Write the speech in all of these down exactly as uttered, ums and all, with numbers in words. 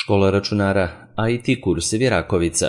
Škola računara I T kursevi Rakovica.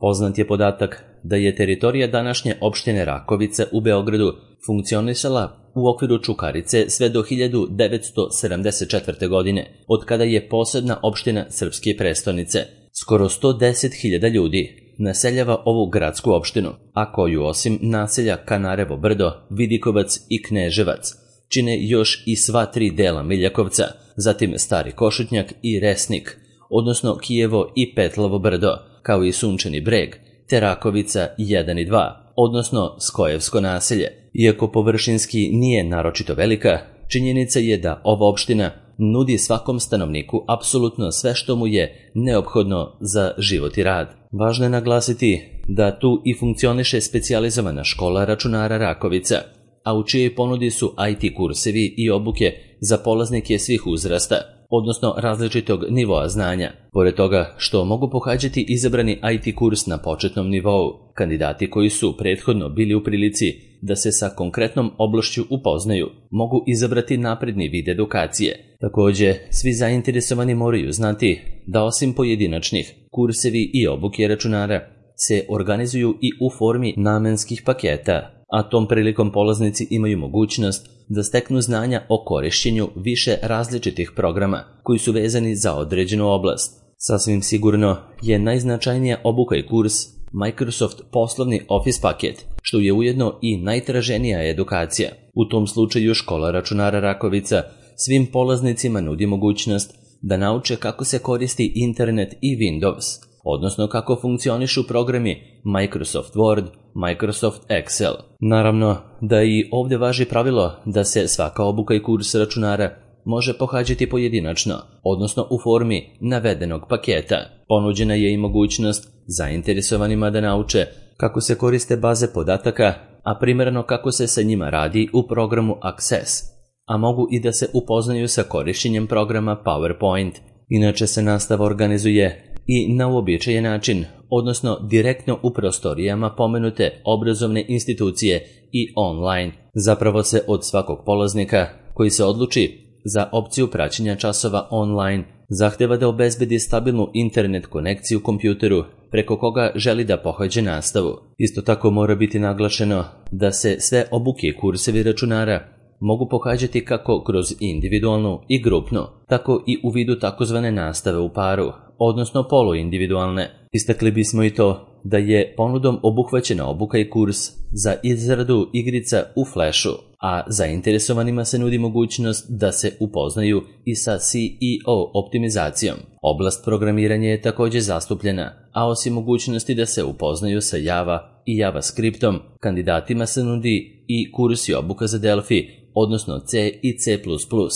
Poznat je podatak da je teritorija današnje opštine Rakovica u Beogradu funkcionisala u okviru Čukarice sve do hiljadu devetsto sedamdeset četvrte. godine, od kada je posebna opština srpske prestonice. Skoro sto deset hiljada ljudi naseljava ovu gradsku opštinu, a koju osim naselja Kanarevo brdo, Vidikovac i Kneževac čine još i sva tri dela Miljakovca, zatim Stari Košutnjak i Resnik, odnosno Kijevo i Petlovo brdo, kao i Sunčani breg, te Rakovica jedan i dva, odnosno Skojevsko naselje. Iako površinski nije naročito velika, činjenica je da ova opština nudi svakom stanovniku apsolutno sve što mu je neophodno za život i rad. Važno je naglasiti da tu i funkcioniše specijalizovana škola računara Rakovica, a u čijoj ponudi su I T kursevi i obuke za polaznike svih uzrasta, odnosno različitog nivoa znanja. Pored toga što mogu pohađati izabrani I T kurs na početnom nivou, kandidati koji su prethodno bili u prilici da se sa konkretnom oblašću upoznaju, mogu izabrati napredni vid edukacije. Takođe, svi zainteresovani moraju znati da osim pojedinačnih, kursevi i obuke računara se organizuju i u formi namenskih paketa, a tom prilikom polaznici imaju mogućnost da steknu znanja o korišćenju više različitih programa koji su vezani za određenu oblast. Sasvim sigurno je najznačajnija obuka i kurs Microsoft poslovni Office paket, što je ujedno i najtraženija edukacija. U tom slučaju škola računara Rakovica svim polaznicima nudi mogućnost da nauče kako se koristi internet i Windows, odnosno kako funkcionišu programi Microsoft Word, Microsoft Excel. Naravno da i ovdje važi pravilo da se svaka obuka i kurs računara može pohađati pojedinačno, odnosno u formi navedenog paketa. Ponuđena je i mogućnost zainteresovanima da nauče kako se koriste baze podataka, a primjerno kako se sa njima radi u programu Access, a mogu i da se upoznaju sa korišćenjem programa PowerPoint. Inače se nastava organizuje i na uobičajen način, odnosno direktno u prostorijama pomenute obrazovne institucije i online. Zapravo se od svakog polaznika koji se odluči za opciju praćenja časova online zahteva da obezbedi stabilnu internet konekciju kompjuteru preko koga želi da pohađa nastavu. Isto tako mora biti naglašeno da se sve obuke i kursevi računara mogu pohađati kako kroz individualnu i grupnu, tako i u vidu takozvane nastave u paru, odnosno poluindividualne. Istakli bismo i to da je ponudom obuhvaćena obuka i kurs za izradu igrica u Flashu, a zainteresovanima se nudi mogućnost da se upoznaju i sa C E O optimizacijom. Oblast programiranja je također zastupljena, a osim mogućnosti da se upoznaju sa Java i JavaScriptom, kandidatima se nudi i kurs i obuka za Delphi, odnosno C i C plus plus,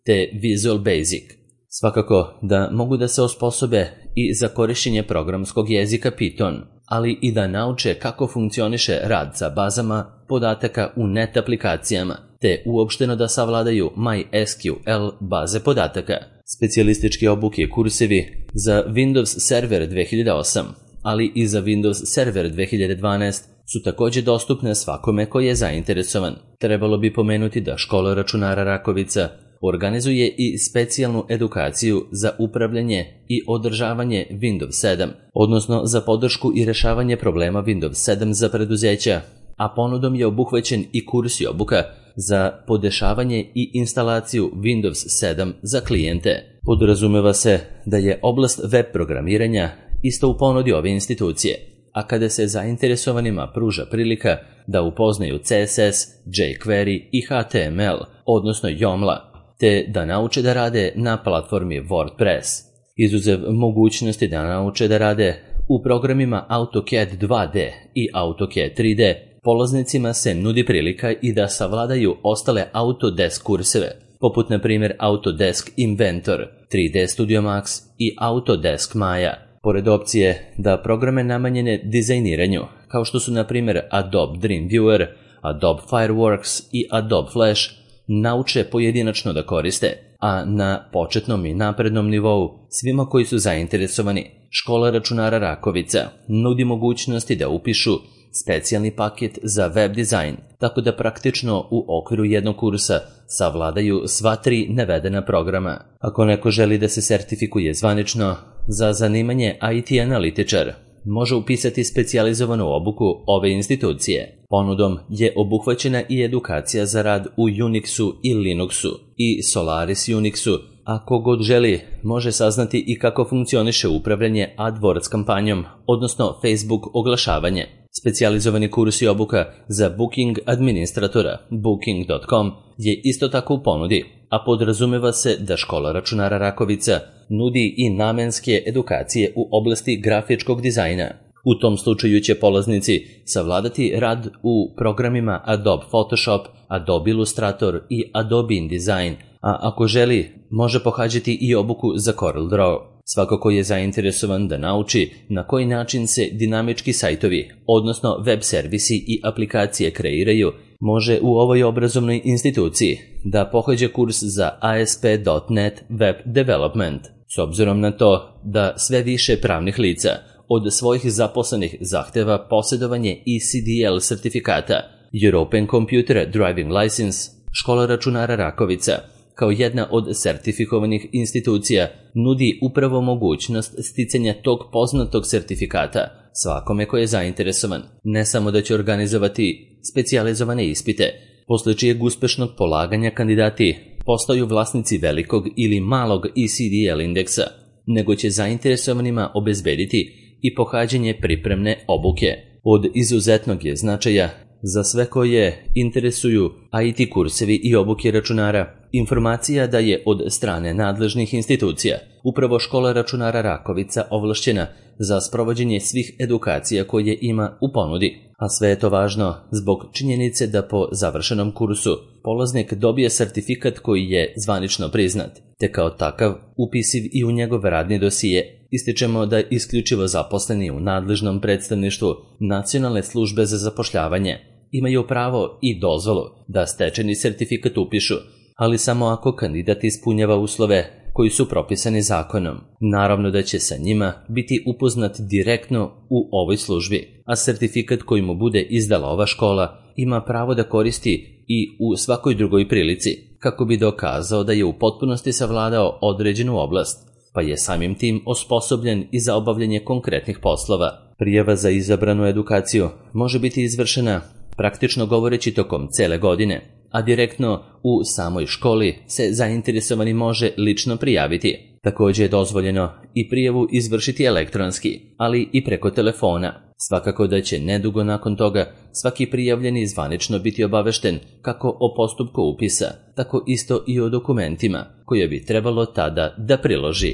te Visual Basic. Svakako da mogu da se osposobe i za korišćenje programskog jezika Python, ali i da nauče kako funkcioniše rad sa bazama podataka u net aplikacijama, te uopšteno da savladaju MySQL baze podataka. Specijalističke obuke i kursevi za Windows Server dve hiljade osam, ali i za Windows Server dve hiljade dvanaest su također dostupne svakome koji je zainteresovan. Trebalo bi pomenuti da škola računara Rakovica organizuje i specijalnu edukaciju za upravljanje i održavanje Windows sedam, odnosno za podršku i rešavanje problema Windows sedam za preduzeća, a ponudom je obuhvaćen i kurs i obuka za podešavanje i instalaciju Windows sedam za klijente. Podrazumeva se da je oblast web programiranja isto u ponudi ove institucije, a kada se zainteresovanima pruža prilika da upoznaju C S S, jQuery i H T M L, odnosno Joomla, te da nauče da rade na platformi WordPress. Izuzev mogućnosti da nauče da rade u programima AutoCAD dva D i AutoCAD tri D, polaznicima se nudi prilika i da savladaju ostale Autodesk kurseve, poput na primjer Autodesk Inventor, tri D Studio Max i Autodesk Maya. Pored opcije da programe namenjene dizajniranju, kao što su na primjer Adobe Dreamweaver, Adobe Fireworks i Adobe Flash, nauče pojedinačno da koriste, a na početnom i naprednom nivou svima koji su zainteresovani, škola računara Rakovica nudi mogućnosti da upišu specijalni paket za web dizajn, tako da praktično u okviru jednog kursa savladaju sva tri navedena programa. Ako neko želi da se sertifikuje zvanično za zanimanje I T analitičar, može upisati specijalizovanu obuku ove institucije. Ponudom je obuhvaćena i edukacija za rad u Unixu i Linuxu i Solaris Unixu, a kogod želi može saznati i kako funkcioniše upravljanje AdWords kampanjom, odnosno Facebook oglašavanje. Specijalizovani kurs i obuka za Booking administratora booking dot com je isto tako u ponudi, a podrazumeva se da škola računara Rakovica nudi i namenske edukacije u oblasti grafičkog dizajna. U tom slučaju će polaznici savladati rad u programima Adobe Photoshop, Adobe Illustrator i Adobe InDesign, a ako želi, može pohađati i obuku za CorelDRAW. Svako ko je zainteresovan da nauči na koji način se dinamički sajtovi, odnosno web servisi i aplikacije kreiraju, može u ovoj obrazovnoj instituciji da pohađa kurs za A S P dot net Web Development. S obzirom na to da sve više pravnih lica od svojih zaposlenih zahteva posjedovanje E C D L sertifikata, European Computer Driving License, škola računara Rakovica, kao jedna od sertifikovanih institucija, nudi upravo mogućnost sticanja tog poznatog sertifikata svakome ko je zainteresovan. Ne samo da će organizovati specijalizovane ispite, posle čijeg uspešnog polaganja kandidati postaju vlasnici velikog ili malog E C D L indeksa, nego će zainteresovanima obezbediti i pohađanje pripremne obuke. Od izuzetnog je značaja za sve koje interesuju I T kursevi i obuke računara informacija da je od strane nadležnih institucija upravo škola računara Rakovica ovlašćena za sprovođenje svih edukacija koje ima u ponudi, a sve je to važno zbog činjenice da po završenom kursu polaznik dobije sertifikat koji je zvanično priznat, te kao takav upisiv i u njegov radni dosije. Ističemo da isključivo zaposleni u nadležnom predstavništvu Nacionalne službe za zapošljavanje imaju pravo i dozvolu da stečeni sertifikat upišu, ali samo ako kandidat ispunjava uslove koji su propisani zakonom. Naravno da će sa njima biti upoznat direktno u ovoj službi, a sertifikat koji mu bude izdala ova škola ima pravo da koristi i u svakoj drugoj prilici, kako bi dokazao da je u potpunosti savladao određenu oblast, pa je samim tim osposobljen i za obavljanje konkretnih poslova. Prijava za izabranu edukaciju može biti izvršena praktično govoreći tokom cele godine, a direktno u samoj školi se zainteresovani može lično prijaviti. Također je dozvoljeno i prijavu izvršiti elektronski, ali i preko telefona. Svakako da će nedugo nakon toga svaki prijavljeni zvanično biti obavešten kako o postupku upisa, tako isto i o dokumentima koje bi trebalo tada da priloži.